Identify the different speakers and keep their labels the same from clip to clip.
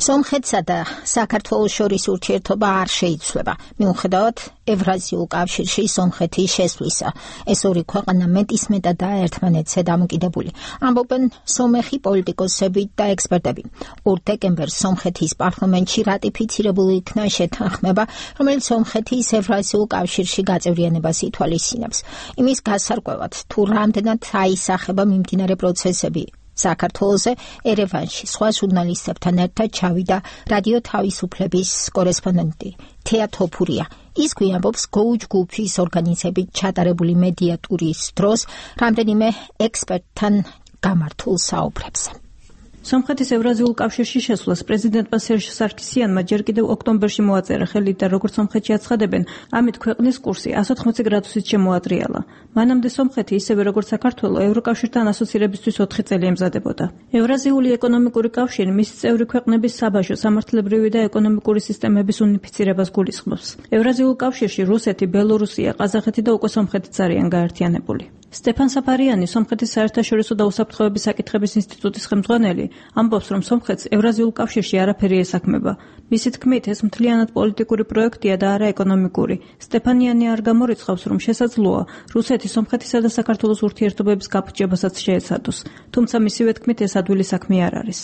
Speaker 1: სომხეთსა და საქართველოს შორის ურთიერთობა არ შეიცვლება. მიუხედავად ევრაზიულ კავშირში სომხეთის შესვლისა, ეს ორი ქვეყანა მეტისმეტადაა ერთმანეთზე დამოკიდებული. ამბობენ სომეხი პოლიტიკოსები და ექსპერტები. 2 დეკემბერს სომხეთის პარლამენტში რატიფიცირებული იქნა შეთანხმება, რომელიც სომხეთის ევრაზიულ კავშირში გაწევრიანებას ითვალისწინებს. იმის გასარკვევად, თუ რამდენად აისახება მიმდინარე პროცესები საქართველოზე, ერევანში სხვა ჟურნალისტებთან ერთად ჩავიდა რადიო თავისუფლების კორესპონდენტი თეა თოფურია. ის გვიამბობს Go ჯგუფის ორგანიზებით ჩატარებული მედიატურის დროს რამდენიმე ექსპერტთან გამართულ საუბრებს.
Speaker 2: სომხეთის ევრაზიულ კავშირში შესვლას პრეზიდენტმა სერჟ სარქისიანმა ჯერ კიდევ ოქტომბერში მოაწერა ხელი და როგორც სომხეთში აცხადებენ, ამით ქვეყნის კურსი 180 გრადუსით შემოატრიალა. მანამდე სომხეთი ისევე როგორც საქართველო ევროკავშირთან ასოცირებისთვის 4 წელი ემზადებოდა. ევრაზიული ეკონომიკური კავშირი მის წევრი ქვეყნების საბაჟო, სამართლებრივი და ეკონომიკური სისტემების უნიფიცირებას გულისხმობს. ევრაზიულ კავშირში რუსეთი, ბელორუსია, ყაზახეთი და უკვე სომხეთიც არიან გაერთიანებული. სტეფან საფარიანი, სომხეთის საერთაშორისო და უსაფრთხოების საკითხების ინსტიტუტის ხელმძღვანელი, ამბობს, რომ სომხეთს ევრაზიულ კავშირში არაფერი ესაქმება. მისი თქმით, ეს მთლიანად პოლიტიკური პროექტია და არა ეკონომიკური. სტეფანიანი არ გამორიცხავს, რომ შესაძლოა რუსეთი სომხეთისა და საქართველოს ურთიერთობების გაფუჭებასაც შეეცადოს. თუმცა მისივე თქმით, ეს ადვილი საქმე არ არის.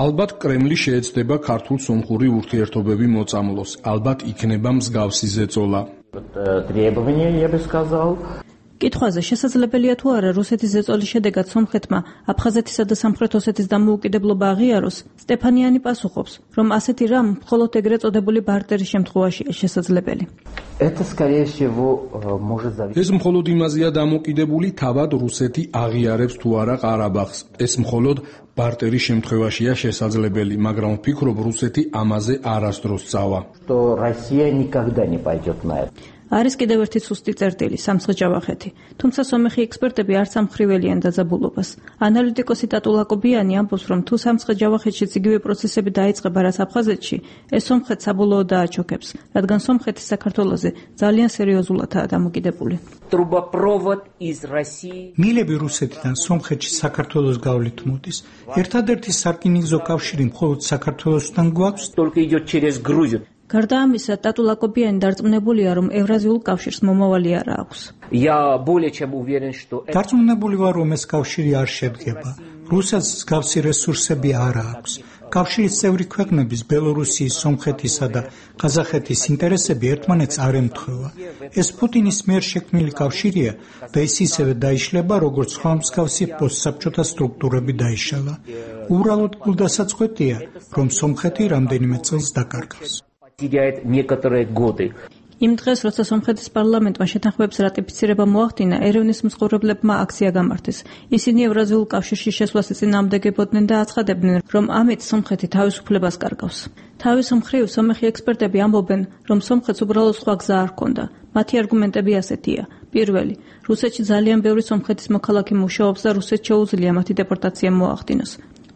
Speaker 3: ალბათ კრემლი შეეცდება ქართულ-სომხური ურთიერთობები მოწამლოს. ალბათ იქნება მსგავსი ზეწოლა.
Speaker 2: კითხვაზე შესაძლებელია თუ არა რუსეთის ზეწოლის შედეგად სომხეთმა აფხაზეთისა და სამხრეთ ოსეთის დამოუკიდებლობა აღიაროს, სტეფანიანი პასუხობს, რომ ასეთი რამ მხოლოდ ეგრეთ წოდებული ბარტერის შემთხვევაშია შესაძლებელი.
Speaker 3: ეს მხოლოდ იმაზეა დამოკიდებული, თავად რუსეთი აღიარებს თუ არა ყარაბაღს. ეს მხოლოდ ბარტერის შემთხვევაშია შესაძლებელი, მაგრამ ვფიქრობ, რუსეთი ამაზე არასდროს წავა.
Speaker 2: არის კიდევ ერთი სუსტი წერტილი, სამცხე-ჯავახეთი. თუმცა სომეხი ექსპერტები არც ამხრიველიან დაძაბულობას. ანალიტიკოსი ტატუ ლაკობიანი ამბობს, რომ თუ სამცხე-ჯავახეთშიც იგივე პროცესები დაიწყება, რაც აფხაზეთში, ეს სომხეთს საბოლოოდ დააჩოქებს, რადგან სომხეთი საქართველოზე ძალიან სერიოზულადაა დამოკიდებული.
Speaker 4: მილები რუსეთიდან სომხეთში საქართველოს გავლით მოდის. ერთადერთი სარკინიგზო კავშირი მხოლოდ საქართველოსთან გვაქვს.
Speaker 2: გარდა ამისა, ტატუ ლაკობიანი დარწმუნებულია, რომ ევრაზიულ კავშირს მომავალი არ აქვს.
Speaker 4: დარწმუნებული ვარ, რომ ეს კავშირი არ შედგება. რუსეთს მსგავსი რესურსები არ აქვს. კავშირის წევრი ქვეყნების ბელორუსიის, სომხეთისა და ყაზახეთის ინტერესები ერთმანეთს არ ემთხვევა. ეს პუტინის მიერ შექმნილი კავშირია და ის ისევე დაიშლება, როგორც სხვა მსგავსი პოსტსაბჭოთა სტრუქტურები დაიშალა. უბრალოდ გულდასაწყვეტია, რომ სომხეთი რამდენიმე წელს დაკარგავს.
Speaker 2: იმ დღეს, როცა სომხეთის პარლამენტმა შეთანხმების რატიფიცირება მოახდინა, ერევნის მცხოვრებლებმა აქცია გამართეს. ისინი ევრაზიულ კავშირში შესვლას ეწინააღმდეგებოდნენ და აცხადებდნენ, რომ ამით სომხეთი თავისუფლებას კარგავს. თავის მხრივ, სომეხი ექსპერტები ამბობენ, რომ სომხეთს უბრალოდ სხვა გზა არ ჰქონდა. მათი არგუმენტები ასეთია. პირველი, რუსეთში ძალიან ბევრი სომხეთის მოქალაქე მუშაობს და რუსეთს შეუძლია მათი დეპორტაცია მოახდინოს.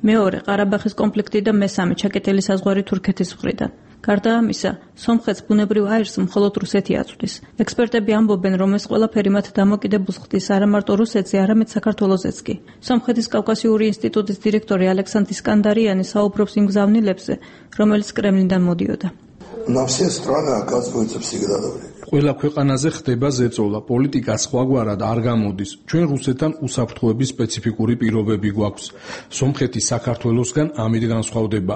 Speaker 2: მეორე, ყარაბაღის კონფლიქტი და მესამე, ჩაკეტილი საზღვარი თურქეთის მხრიდან. გარდა ამისა, სომხეთს ბუნებრივ აირს მხოლოდ რუსეთი აწვდის. ექსპერტები ამბობენ, რომ ეს ყველაფერი მათ დამოკიდებულს ხდის არა მარტო რუსეთზე, არამედ საქართველოსაც კი. სომხეთის კავკასიური ინსტიტუტის დირექტორი ალექსანდრ ისკანდარიანი საუბრობს იმ გზავნილებზე, რომელიც კრემლიდან მოდიოდა.
Speaker 3: ყველა ქვეყანაზე ხდება ზეწოლა, პოლიტიკა სხვაგვარად არ გამოდის. ჩვენ რუსეთთან უსაფრთხოების სპეციფიკური პირობები გვაქვს. სომხეთი საქართველოსგან ამით განსხვავდება.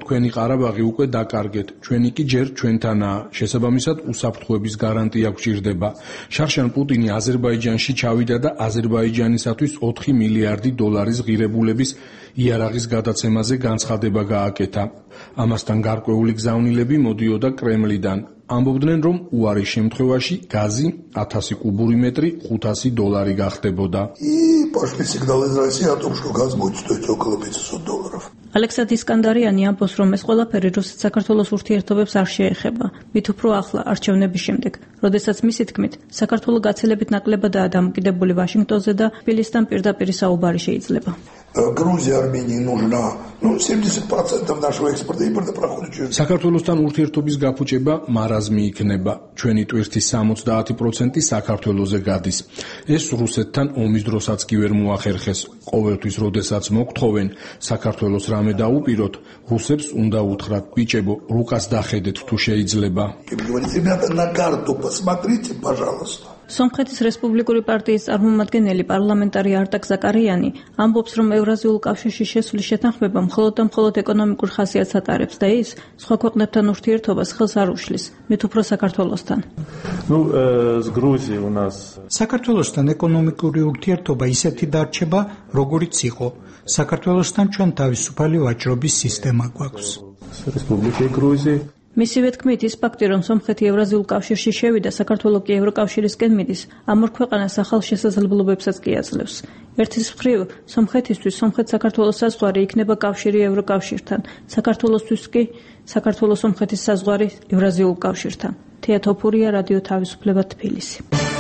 Speaker 3: თქვენი ყარაბაღი უკვე დაკარგეთ, ჩვენი კი ჯერ ჩვენთანაა. შესაბამისად, უსაფრთხოების გარანტია გვჭირდება. შარშან პუტინი აზერბაიჯანში ჩავიდა და აზერბაიჯანისათვის 4 მილიარდი დოლარის ღირებულების იარაღის გადაცემაზე განცხადება გააკეთა. ამასთან გარკვეული გზავნილები მოდიოდა კრემლიდან. ამბობდნენ, რომ უარის შემთხვევაში გაზი 1000 კუბური მეტრი $500 გახდებოდა.
Speaker 2: ალექსანდრ ისკანდარიანი ამბობს, რომ ეს ყველაფერი რუსეთ-საქართველოს ურთიერთობებს არ შეეხება. მით უფრო ახლა არჩევნების შემდეგ, როდესაც მისი თქმით, საქართველო გაცილებით ნაკლებადაა დამოკიდებული ვაშინგტონზე და თბილისთან პირდაპირ საუბარი შეიძლება.
Speaker 5: Грузии, Армении нужна 70% нашего экспорта импорта проходит через.
Speaker 3: საქართველოსთან ურთიერთობის გაფუჭება მარაზმი იქნება. ჩვენი ტვირთის 70% საქართველოზე გადის. ეს რუსეთთან ომის დროსაც კი ვერ მოახერხეს. ყოველთვის, როდესაც მოგთხოვენ საქართველოს რამე დაუპიროთ, რუსებს უნდა უთხრათ, ბიჭებო, რუკას დახედეთ თუ შეიძლება.
Speaker 5: Ребята, на карту посмотрите, пожалуйста.
Speaker 2: სომხეთის რესპუბლიკური პარტიის წარმომადგენელი პარლამენტარი არტაკ ზაკარიანი ამბობს, რომ ევრაზიულ კავშირში შესვლის შეთანხმება მხოლოდ და მხოლოდ ეკონომიკურ ხასიათს ატარებს და ის სხვა ქვეყნებთან ურთიერთობას ხელს არ უშლის, მით უფრო საქართველოსთან.
Speaker 4: საქართველოსთან ეკონომიკური ურთიერთობა ისეთი დარჩება, როგორიც იყო. საქართველოსთან ჩვენ თავისუფალი ვაჭრობის სისტემა გვაქვს.
Speaker 2: მისივე თქმით, ის ფაქტი, რომ სომხეთი ევრაზიულ კავშირში შევიდა, საქართველო კი ევროკავშირისკენ მიდის, ამ ორ ქვეყანას ახალ შესაძლებლობებსაც კი აძლევს. ერთის მხრივ, სომხეთისთვის სომხეთ-საქართველოს საზღვარი იქნება კავშირი ევროკავშირთან, საქართველოსთვის კი საქართველოს-სომხეთის საზღვარი ევრაზიულ კავშირთან. თეა თოფურია, რადიო თავისუფლება, თბილისი.